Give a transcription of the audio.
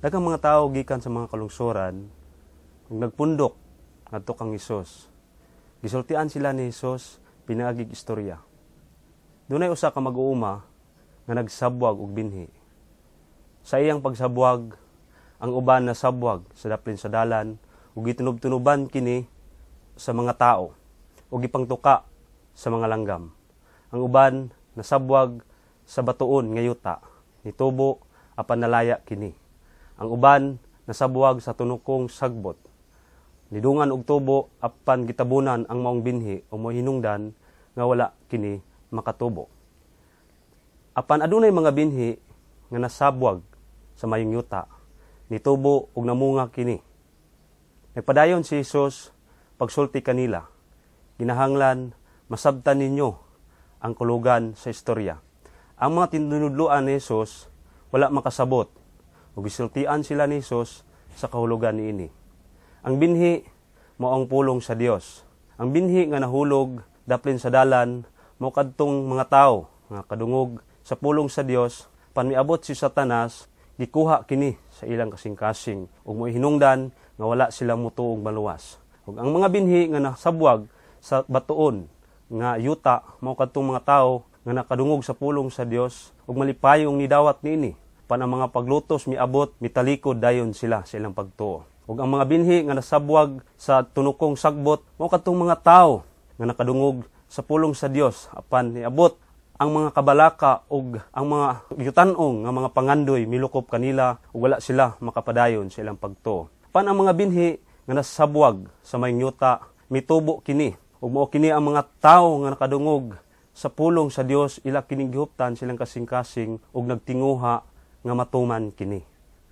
Daghang mga tawo gikan sa mga kalungsoran ug nagpundok ngadto kang Hesus. Gisultian sila ni Hesus pinaagig istorya. Dunay usa ka mag-uuma nga nagsabwag og binhi. Sa iyang pagsabwag, ang uban nasabwag sa daplin sa dalan ug gitunob-tunoban kini sa mga tao ug gipangtuka sa mga langgam. Ang uban nasabwag sa batuon nga yuta, nitubo apan nalaya kini. Ang uban nasabwag sa tunukong sagbot. Nidungan og tubo apan gitabunan ang maong binhi o mohinungdan nga wala kini makatubo. Apan adunay mga binhi nga nasabwag sa mayong yuta, nitubo ug namunga kini. Nagpadayon si Jesus pagsulti kanila. Ginahanglan masabtan ninyo ang kulugan sa istorya. Ang mga tinunudloan ni Jesus wala makasabot ug gisultian sila ni Jesus sa kahulugan niini. Ang binhi mao ang pulong sa Dios. Ang binhi nga nahulog daplin sa dalan mao kadtong mga tawo nga kadungog sa pulong sa Dios, pan miabot si Satanas, gikuha kini sa ilang kasing-kasing ug mohinungdan nga wala sila mutuong maluwas. Ug ang mga binhi nga nasabwag sa batuon nga yuta mao kadtong mga tawo nga nakadungog sa pulong sa Dios ug malipayong nidawat niini. Pan ang mga paglutos miabot, mitalikod dayon sila sa ilang pagtuo. Ug ang mga binhi nga nasabwag sa tunukong sagbot mao kadtong mga tawo nga nakadungog sa pulong sa Dios, apan niabot ang mga kabalaka ug ang mga yutan-ong nga mga pangandoy, milukop kanila ug wala sila makapadayon sa ilang pagtuo. Pan ang mga binhi nga nasabwag sa mayong yuta, mitubo kini ug mao kini ang mga tawo nga nakadungog sa pulong sa Dios, ila kining gihuptan silang kasing-kasing ug nagtinguha nga matuman kini.